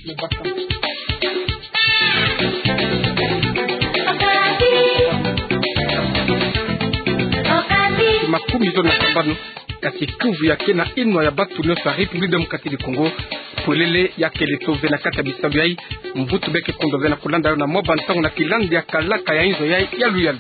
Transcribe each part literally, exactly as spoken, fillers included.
Makumi zole na sambanu, kasi kiuvu ya kena inwa ya batu nyonso ya République Démocratique du Congo, pwelele ya kele tove na kati ya bisalu yai. Mvutu beke kondo ve na kulanda yo na mwa bantangu na kilandi ya kalaka ya inzo yai ya luyalu.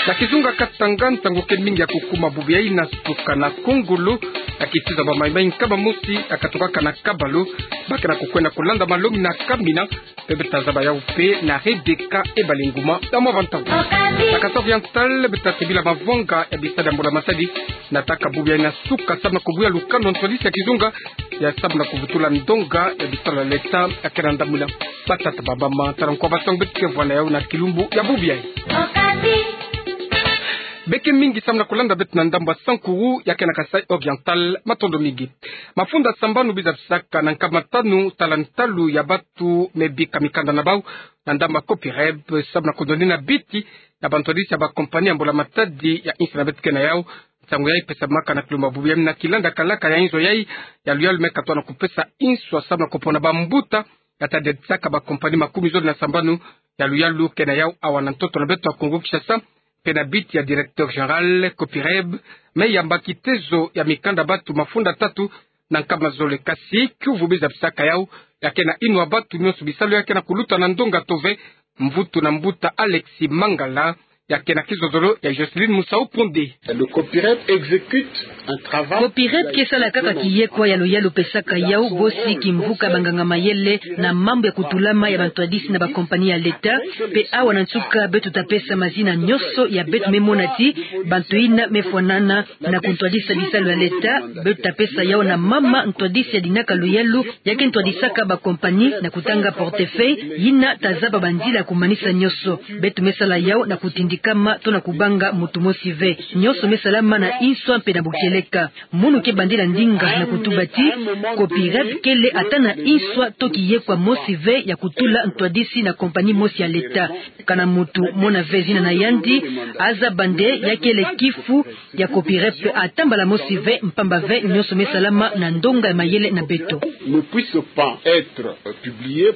Na kizunga Katanga, nsangu ke mingi ya kukuma bubu yai na suka na kongolo, na kitiza ba maimai nkama mosi ya katokaka na kabalu, ba ke na kukwenda kulanda malongi na kamina, mpe beto tazaba yau mpe na Rebecca Ebalenguma na mwa bantangu. Na Kasai Oriental, beto tatebila mavwanga ya bisalu ya mbula matadi, na taka bubu yai na suka, samu na kubuya lukanu ntwadisi ya kizunga, ya samu na kuvutula ndonga ya bisalu ya leta, ya kena ndamuna. Batata, bamama, tala nkwa bantangu beto ke vwa na yau na kilumbu ya bubu yai. Beke mingi samu na kulanda beto na ndambu ya Sankuru, ya kena Kasai Oriental, matondo mingi. Mafunda sambanu biza bisaka na nkama tanu, tala ntalu ya batu me bika mikanda na bau na ndambu ya Copereb, samu na kundonina biti na bantwadisi ya bakompani ya mbula matadi ya insi na beto ke na yau. Nsangu yai pesamaka na kilumbu ya bubu yai na kilanda kalaka ya inzo yai ya luyalu, me katona kupesa inswa samu na kupona bambuta ya tadisaka bakompani makumi zole na sambanu ya luyalu ke na yau awa na ntoto na beto ya Kongo Kinshasa, mpe na biti ya directeur général Copereb, me yamba kitezo ya mikanda batu mafunda tatu na nkama zole. Kasi kiuvu biza bisaka yau ya kena inwa batu nyonso, bisalu ya kena kuluta na ndonga tove. Mvutu na mbuta Alexis Mangala, ya kena kizozolo ya Jocelyne Musau Pondé. Le Copereb exécute un travail. Copereb ke sala kaka kiyekwa ya luyalu pesaka yau bosi kimvuka banganga mayele na mambu ya kutulama ya bantwadisi na bakompani ya leta. Mpe awa na nsuka beto tapesa mazina nyonso ya beto me mona ti bantu yina me fwanana na kuntwadisa bisalu ya leta. Beto tapesa yau na mama ntwadisi ya dinaka luyalu, ya ke ntwadisaka bakompani na kutanga portefeuille, yina tazaba banzila ya kumanisa nyonso. Beto me sala yau na kutindikama to na kubanga mutu mosi ve. Nyonso me salama na inswa mpe na bukieleka. Munu ke bandila ndinga na kutuba ti Copereb kele ata na inswa to kiyekwa mosi ve ya kutula ntwadisi na kompani mosi ya leta. Kana mutu mona ve zina na yandi, azaba nde ya kele kifu ya Copereb ata mbala mosi ve, mpamba ve nyonso me salama na ndonga ya mayele na beto. Ne puisse pas être publié.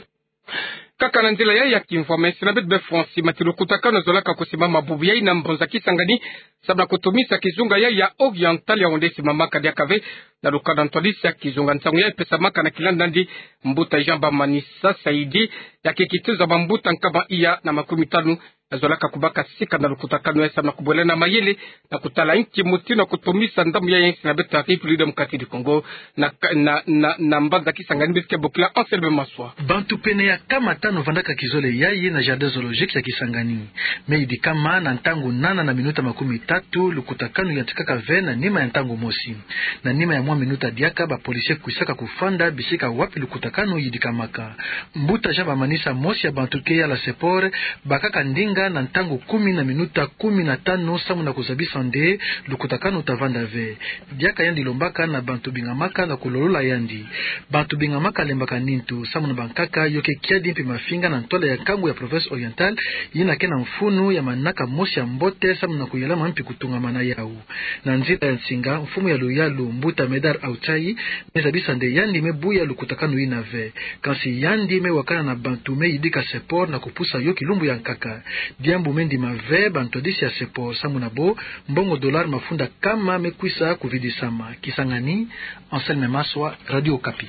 Kaka na nzila yai ya kimvwama, insi na beto be France mati lukutakanu ezolaka kusimbama bubu yai na mbanza Kisangani, samu na kutumisa kizunga yai ya Oriental, ya onde simamaka diaka ve na lukanu ntwadisi ya kizunga. Nsangu yai pesamaka na kilanda ndi mbuta Jean Bamanisa Saidi, ya ke kitezo ya bambuta nkama iya na makumi tanu ezolaka kubaka sika na lukutakanu yai, samu na kubwelana mayele na kutala nki mutindu na kutumisa ndambu yai ya insi na beto ya République Démocratique du Congo na, na, na, na mbanza Kisangani. Beto ke bokila Anselme Maswa. Bantu pene ya nkama tanu vandaka kizole yai na jardin zoologique ya Kisangani. Me yidikama na ntangu nana na minuta makumi tatu, lukutakanu yantikaka ve na nima ya ntangu mosi. Na nima ya mwa minuta diaka, ba policiers kwisaka kufanda bisika wapi lukutakanu yidikamaka. Mbuta Jean Bamanisa, mosi ya bantu ke yala sport, bakaka ndinga na ntangu kumi na minuta kumi na tanu samu na kuzabisa nde lukutakanu tavanda ve. Diaka yandi lombaka na bantu bingamaka na kulolola yandi. Bantu bingamaka lembaka nintu, samu na bankaka yo ke kiadi mpi mafinga na ntwala ya nkangu ya province Oriental, yina ke na mfunu ya manaka mosi ya mbote samu na kuyalama mpi kutungamana yau. Na nzila ya nsinga, mfumu ya luyalu, mbuta Medard Autsaï, me zabisa nde yandi me buya lukutakanu yina ve. Kansi yandi me wakana na bantu me yidika sport na kupusa yo kilumbu ya nkaka. Diambu me ndima ve bantwadisi ya sport, samu na bo mbongo dollar mafunda nkama me kwisa kuvidisama. Kisangani, Anselme Maswa, Radio Okapi.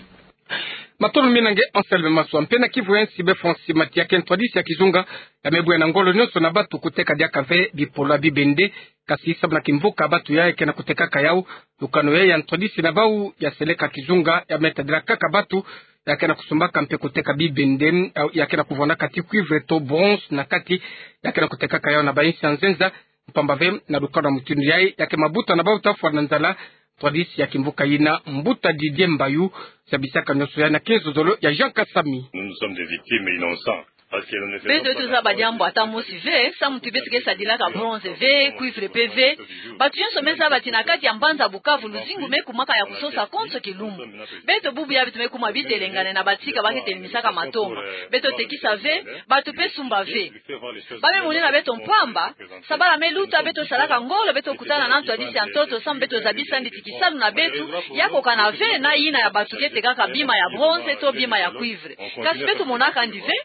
Matondo mingi na nge Anselme Maswa. Mpe na kivu ya nsi, be France mati ya ke ntwadisi ya kizunga ya me buya na ngolo nyonso na bantu kuteka diaka ve bipolo ya bibende, kasi samu na kimvuka bantu ya ke na kutekaka yau. Lukanu ya ya ntwadisi na bau ya seleka kizunga ya me tadila kaka bantu ya ke na kusumbaka mpe kuteka bibende, ya ke na kuvwandaka ti cuivre to bronze na kati, ya ke na kutekaka yau na ba insi ya nzenza. Mpamba ve na lukanu ya mutindu yai, ya ke mabuta na bau tafwa na nzala ntwadisi ya kimvuka yina. Mbuta Didier Mbayu zabisaka nyonso yai na kizozolo ya Jean Kasami. Nous, nous sommes des victimes innocents. Beto tozaba diambu ata mosi ve samu ti beto ke sadilaka bronze ve, cuivre mpe ve. Bato nyonso me zaba ti na kati ya mbanza Bukavu luzingu me kumaka ya kusosa konso kilumbu. Beto bubu ya beto me kuma bitelengane na batika ba ke telemisaka matonga. Beto tekisa ve, bato mpe sumba ve. Ba me monena beto mpamba, sabala me luta, beto salaka ngolo, beto kutana na ntwadisi ya ntoto samu beto zabisa nditi kisalu na beto, ya kokana ve na yina ya bato ke tekaka bima ya bronze to bima ya cuivre. Kasi beto monaka yandi ve.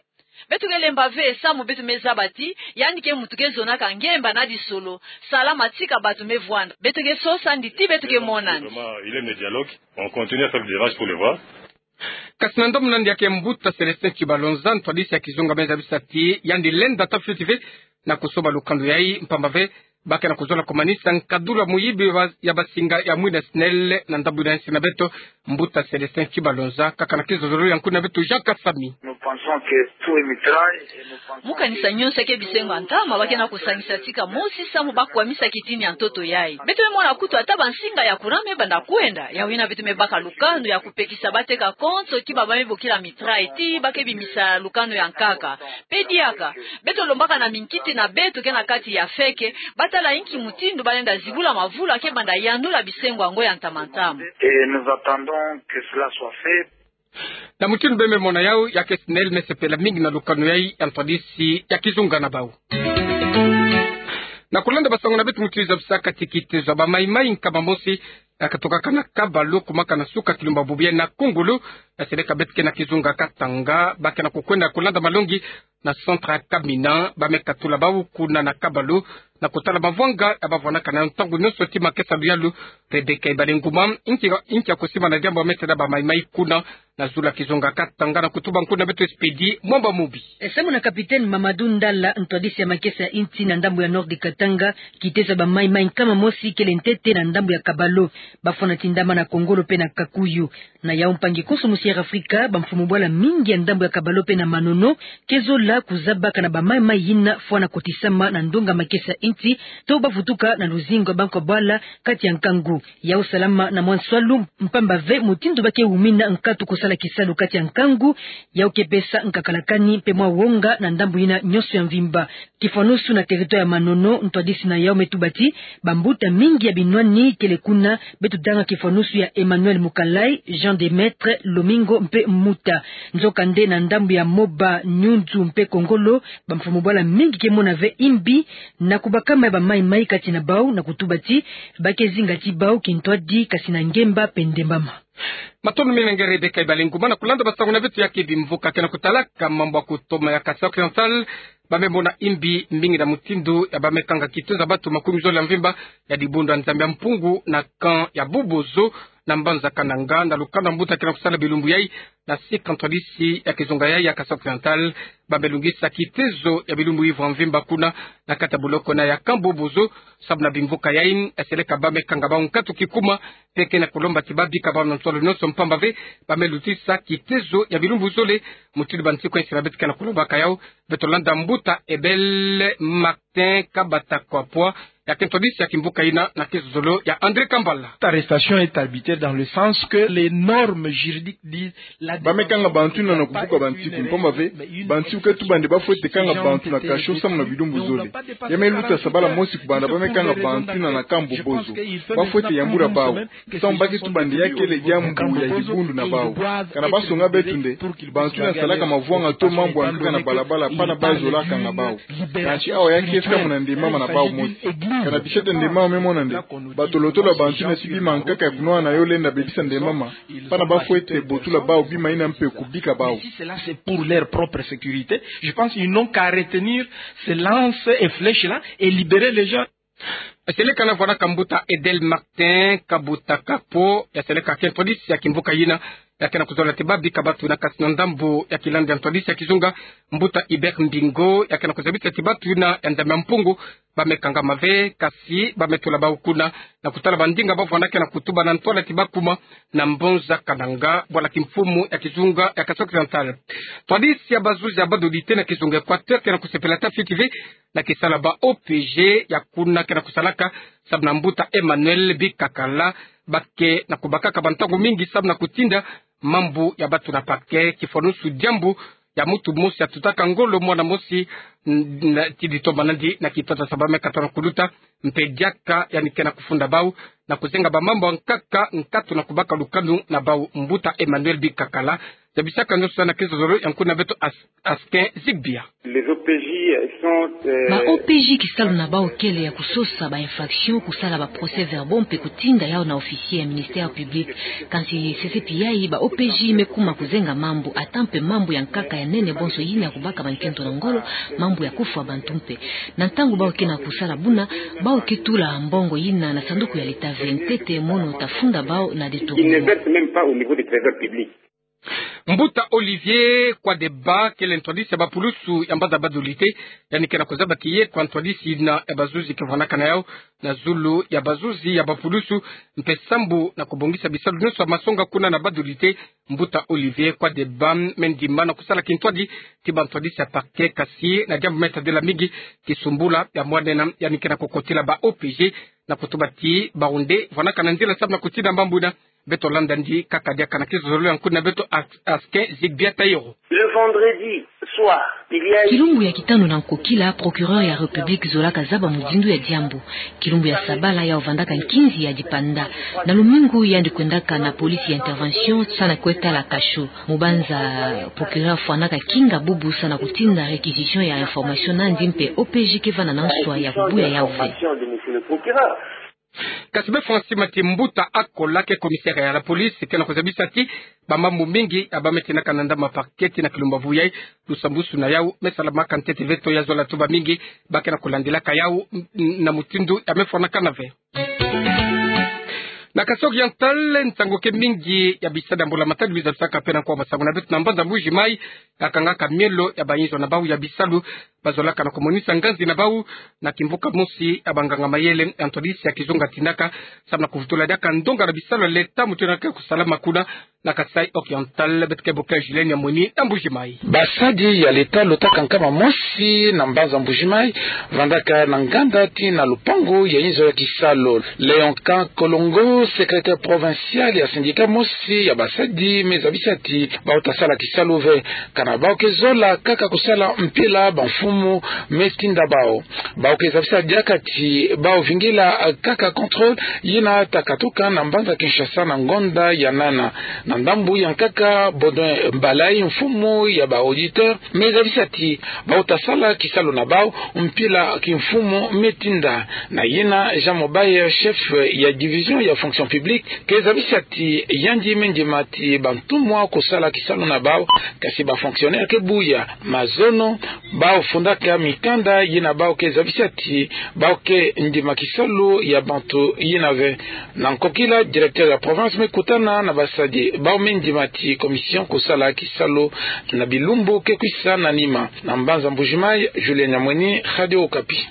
Beto ke lemba ve samu beto me zaba ti yandi ke muntu ke zonaka ngemba na disolo, sala matika bato me vwanda. Beto ke sosa yandi ti beto ke mona yandi. On continue à faire le virage pour le voir. Kasi na ndomo na yandi ya ke mbuta Célestin Tshibalonza, ntwadisi ya kizunga, me zabisa ti yandi lenda ata fioti ve na kusoba lukando yai, mpamba ve ba ke na kuzola kumanisa nkadula muyibi ya ba-, ya basinga ya mwina SNEL na ndambu yina nsi na beto. Mbuta Célestin Tshibalonza, kaka na kizozolo ya nkuna beto Jean Kasami. Nous pensons que tout est mitraille et nous pensons... Mu kanisa nyonso ya ke bisengo ya ntama ba ke na kusangisa tika mosi samu ba kwamisa kitini ya ntoto yai. Beto me mona kutu ata bansinga ya courant me banda kwenda, yawu yina beto me baka lukanu ya kupekisa ba teka konso ki ba ba me bokila mitraille ti ba ke bimisa lukanu ya nkaka. Mpe diaka, beto lombaka na minkiti na beto ke na kati ya feke, ba tala inki mutindu ba lenda zibula mavula ke banda yanula bisengo yango ya ntama ntama. Et nous attendons que cela soit fait. Na mutindu be me mona yawu, ya ke SNEL me sepela mingi na lukanu yai ya ntwadisi ya kizunga na bawu. Na kulanda basango na beto mutindu zabisaka ti kitezo ya bamaimai nkama mosi ya katokaka na Kabalu, kumaka na suka kilumbu ya bubu yai na Kongolo, ya seleka beto ke na kizunga Katanga, ba ke na kukwenda kulanda malongi na centre ya Kamina, ba me katula bawu kuna na Kabalu, na kutala mavwanga ya ba vwanaka na yo ntangu nyonso. Ti makesa luyalu Rebecca Ibalenguma, inki, inki ya kusimbana diambu ya me têla bamaimai kuna na zulu ya kizunga Katanga, na kutuba nkuna beto Expédie Mwamba Mubi. E, samu na capitaine Mamadou Ndala, ntwadisi ya makesa ya insi na ndambu ya Nord Katanga, kitezo ya bamaimai nkama mosi kele ntete na ndambu ya Kabalu. Ba fwana tindama na Kongolo mpe na Kakuyu. Na yawu mpangi konso musi ya Afrika, bamfumu bwala mingi ya ndambu ya Kabalu mpe na Manono ke zola kuzabaka na bamaimai yina fwana kotisama na ndonga makesa ya insi, to ba vutuka na luzingu ya bankwa bwala kati ya nkangu. Yawu salama na mwa nswalu, mpamba ve mutindu ba ke wumina nkatu kusala kisalu kati ya nkangu, yawu ke pesa nkakalakani mpe mwa wonga na ndambu yina nyonso ya mvimba. Kifwanusu na territoire ya Manono, ntwadisi na yawu me tuba ti bambuta mingi ya binwani kele kuna, beto tanga kifwanusu ya Emmanuel Mukalai, Jean Demaître, Lomingo mpe Mbuta. Nzokande na ndambu ya Moba, Nyunzu mpe Kongolo, bamfumu bwala mingi ke mona ve imbi na kubakama ya bamaimai kati na bawu, na kutuba ti ba ke zinga ti bawu kintwadi, kasi na ngemba mpe ndembama. Matondo mingi na nge Rebecca Ibalenguma. Na kulanda basango na beto, ya ke bimvuka ke na kutalaka mambu ya kutoma ya Kasaï Occidental, ba me mona imbi mingi na mutindu ya ba me kanga kitezo ya batu makumi zole ya mvimba ya dibundu ya Nzambi ya Mpungu na camp ya Bobozo na mbanza Kananga, na lukanda mbuta ke na kusala bilumbu yai na sika ntwadisi ya kizunga yai ya Kasaï Occidental. Ba me lungisa kitezo ya bilumbu ivre ya mvimba kuna na kati ya boloko na ya camp Bobozo, samu na bimvuka yai, ya seleka ba me kanga bawu nkatu kikuma, mpe ke na kulomba ti ba bika bawu na nswalu nyonso, mpamba ve ba me lutisa kitezo ya bilumbu zole. Mutindu bansiku ya insi na beto ke na kulombaka yawu, beto landa mbuta Ebel Martin Kabata Kwapwa, ya ke ntwadisi ya kimvuka yina na kizozolo ya André Kambala. Cette arrestation est arbitraire dans le sens que les normes juridiques disent... Ba me kanga bantu yina na kubuka bansiku, mpamba ve bansiku ke tuba nde ba fwete kanga bantu na cachot samu na bilumbu zole. Ya me luta sabala mosi kubanda ba me kanga bantu yina na camp Bobozo. Ba fwete yambula bawu. Samu ba ke tuba nde ya kele diambu ya dibundu na bawu. Kana ba songa beto nde bantu yina salaka mavwanga to mambu ya nkaka na balabala, pana ba zola kanga bawu. Kansi awa ya ke samu na ndembama na bawu mosi. Kana bisete ndembama me mona nde batolotolo ya bantu yina si bima nkaka ya kunwana yo lenda bebisa ndembama, pana ba fwete botula bawu bima yina mpe kubika bawu. Si cela c'est pour leur propre sécurité, je pense qu'ils n'ont qu'à retenir ces lances et flèches-là et libérer les gens. Ya seleka na vwanaka mbuta Edel Martin Kabuta Kapo, ya seleka ke ntwadisi ya kimvuka yina, ya ke na kuzola ti ba bika batu yina, kasi na ndambu ya kilanda ya ntwadisi ya kizunga, mbuta Hubert Mbingo, ya ke na kuzabisa ti batu yina ya Nzambi ya Mpungu ba me kangama ve, kasi ba me tula bawu kuna na kutala bandinga ba vwanda ke na kutuba na ntwala ti ba kuma na mbanza Kananga, bwala kimfumu ya kizunga ya Kasaï Occidental. Ntwadisi ya bazuzi ya badodite na kizunga Equateur ke na kusepela ata fioti ve na kisalu ya ba O P G ya kuna ke na kusalaka samu na mbuta Emmanuel Bikakala, ba ke na kubakaka bantangu mingi samu na kutinda mambu ya batu na parquet, kifwanusu diambu ya mutu mosi atutaka ngolo mwana mosi, n-, na, ti di tomba nandi na kintwadi ya saba me katona kuluta, mpe diaka yandi ke na kufunda bau na kuzenga bamambu ya nkaka, nkatu na kubaka lukanu na bau. Mbuta Emmanuel Bikakala zabisaka nionso na kizozolo ya nkuna beto As-, Askin Zigbia. Les O P J sont, euh, Ba O P J kisalu na bau kele ya kusosa ba infraction, kusala ba procès-verbaux mpe kutinda yau na officier ya ministère public. Kansi sese pi yayi, ba O P J me kuma kuzenga mambu, ata mpe mambu ya nkaka ya nene bonso yina ya kubaka ba nkento na ngolo, mambu ya kufwa bantu mpe. Na ntangu bau ke na kusala buna, bau ke tula mbongo yina na sanduku ya leta ve. Ntete mono tafunda bau na détournement. Ils ne versent même pas au niveau du trésor public. Mbuta Olivier Kwadeba kele ntwadisi ya bapulusu ya mbaza Badolite, yandi ke na kuzaba kiye kwa ntwadisi na ya bazuzi ke vwanakana yau na zulu ya bazuzi ya bapulusu, mpe sambu na kubongisa bisalu nionso ya masonga kuna na Badolite. Mbuta Olivier Kwadeba me ndima na kusala kintwadi ti bantwadisi ya parquet, kasi na diambu me tadila mingi, kisumbula ya mwanena, yandi ke na kukotila ba O P J na kutuba ti bawu nde vwanakana nzila sambu na kutinda mambu yina. Beto landa ndi kaka diaka na kizozolo ya nkuna beto As-, Askin Zigbia Tayoro. Le vendredi soir, il y a eu Kilumbu ya kitanu na nkokila, procureur ya République zolaka zaba muzindu ya diambu. Kilumbu ya sabala yau vandaka nkinzi ya dipanda. Na lumingu yandi kwendaka na police ya intervention, sa na kwe tala cachot. Mu banza procureur fwanaka kinga bubu sa na kutinda réquisition ya information nandi, mpe O P J ke vana na nswa ya kubuya yau ve. Kasi befwa nsima ti mbuta Akola ke commissaire ya la police ke na kuzabisa ti bamambu mingi ya ba me tinaka na ndambu ya parquet ti na kilumbu ya vuyayi, lusambusu na yau me salamaka ntete ve, to ya zola tuba mingi ba ke na kulandilaka yau n-, n-, na mutindu ya me fwanakana ve. Na Kasaï Oriental, nsangu ke mingi ya bisadi ya mbula-matadi bizabisaka mpe na nkwa masangu na beto na mbanza Mbuji-Mayi, ya kangaka mielo ya bayinzo na bau ya bisalu, bazolaka na kumonisa nganzi na bau na kimvuka mosi ya banganga-mayele ya ntwadisi ya kizunga tinaka, sambu na kuvutula diaka ndonga na bisalu ya leta mutindu yina ke kusalama kuna na Kasaï Oriental. Beto ke bokila Julien Nyamweni na Mbuji-Mayi. Basadi ya leta lutaka nkama mosi na mbanza Mbuji-Mayi vandaka na nganda ti na lupangu ya inzo ya kisalu. Léon Kan Kolongo, secrétaire provincial ya syndicat mosi ya basadi, me zabisa ti bau tasala kisalu ve. Kana bau ke zola kaka kusala mpila bamfumu me tinda bau. Bau ke zabisa diaka ti bau vingila kaka contrôle yina takatuka na mbanza Kinshasa na ngonda ya nana. Na ndambu ya nkaka, Baudouin Mbalay, mfumu ya ba auditeur, me zabisa ti bau tasala kisalu na bau mpila kimfumu me tinda. Na yina, Jean Mobaye, chef ya division ya fonction publique, ke zabisa ti yandi me ndima ti bantumwa kusala kisalu na bau, kasi ba fonctionnaire ke buya. Mazono, bau fundaka mikanda yina bau ke zabisa ti bau ke ndima kisalu ya bantu yina ve. Na nkokila, directeur ya province me kutana na basadi bau me ndima ti commission kusala kisalu na bilumbu ke kwisa na nima. Na mbanza Mbuji-Mayi, Julien Nyamweni, Radio Okapi.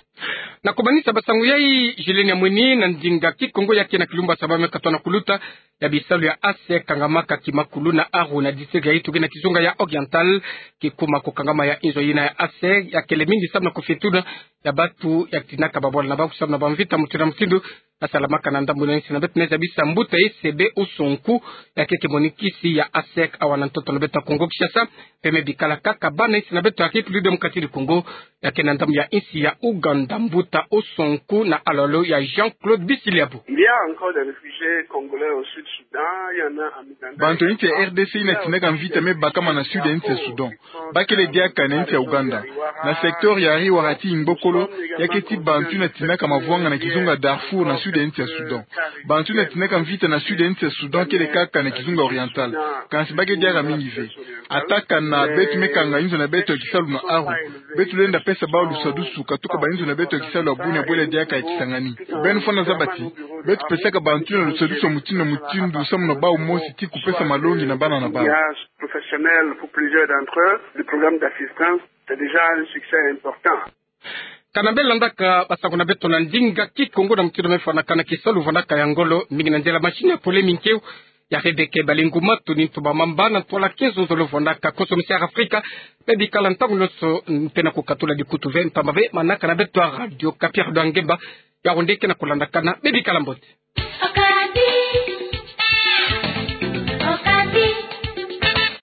Na kumanisa ba nsangu yayi, Julien Nyamweni, na ndinga Kikongo ya ke na kilumbu ya saba me katona kuluta, ya bisalu ya ASEC kangamaka kimakulu na Aru na district ya Ituri na kizunga ya Oriental, kikuma kukangama ya inzo yina ya ASEC ya kele mingi sambu na kufituna ya bantu ya tinaka babwala na bau sambu na bamvita mutindu na mutindu ya salamaka na ndambu na insi na beto. Me zabisa mbuta Esebe Usonku, ya ke kimonikisi ya ASEC awa na ntoto na beto ya Kongo Kinshasa, mpe me bikala kaka bana insi na beto ya République Démocratique du Congo, ya ke na ndambu ya insi ya Ouganda. Mbuta Usonku na alolo ya Jean-Claude Bisiliabu. Il y a encore des réfugiés congolais au Sud-Soudan, il y en a en Ouganda. Bantu ya insi ya R D C yina tinaka mvita me bakama na sud ya insi ya Soudan. Ba kele diaka na insi ya Ouganda. Na secteur ya Ariwara ti Imbokolo, ya ke ti bantu yina tinaka mavwanga na kizunga Darfour na sud ya insi ya Soudan. Bantu yina tinaka mvita na sud ya insi ya Soudan kele kaka na kizunga Oriental. Kansi ba ke diaka mingi ve. Ata kana beto me kanga inzo na beto ya kisalu na Aru, beto lenda pesa bau lusadusu katuka ba inzo na beto ya kisalu ya bunia bwela diaka ya Kisangani. Beno fwana zaba ti beto pesaka bantu yina lusadusu ya mutindu na mutindu sambu na bau mosi ti kupesa malongi na bana na bau. Professionnels pour plusieurs d'entre eux, le programme d'assistance, c'est déjà un succès important. Kana beno landaka ba nsangu na beto na ndinga Kikongo na mutindu me fwanakana, kisalu vandaka ya ngolo mingi na nzela machine ya pole minkeu ya Rebecca Balinguma. Tuni ntumba mamba na ntwala kinzonzolo vandaka konso misi ya Afrika. Me bikala ntangu nionso mpe na kukatula dikutu ve, mpamba ve manaka na beto ya Radio Okapi, Radio ya Ngemba, ya ronde ke na kulandakana. Me bikala mbote.